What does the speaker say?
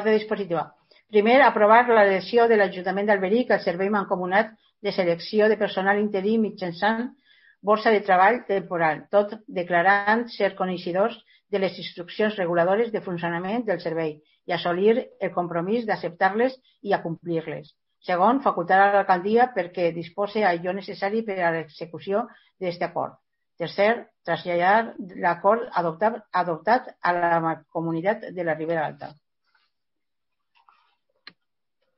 Ordre dispositiva. Primer, aprovar l'adhesió de l'Ajuntament d'Alberic al Servei Mancomunat de Selecció de Personal Interí mitjançant borsa de treball temporal, tot declarant ser coneixedors de les instruccions reguladores de funcionament del servei i assolir el compromís d'acceptar-les i acomplir-les. Segon, facultar a l'alcaldia perquè dispose allò necessari per a l'execució d'aquest acord. Tercer, traslladar l'acord adoptat a la Comunitat de la Ribera Alta.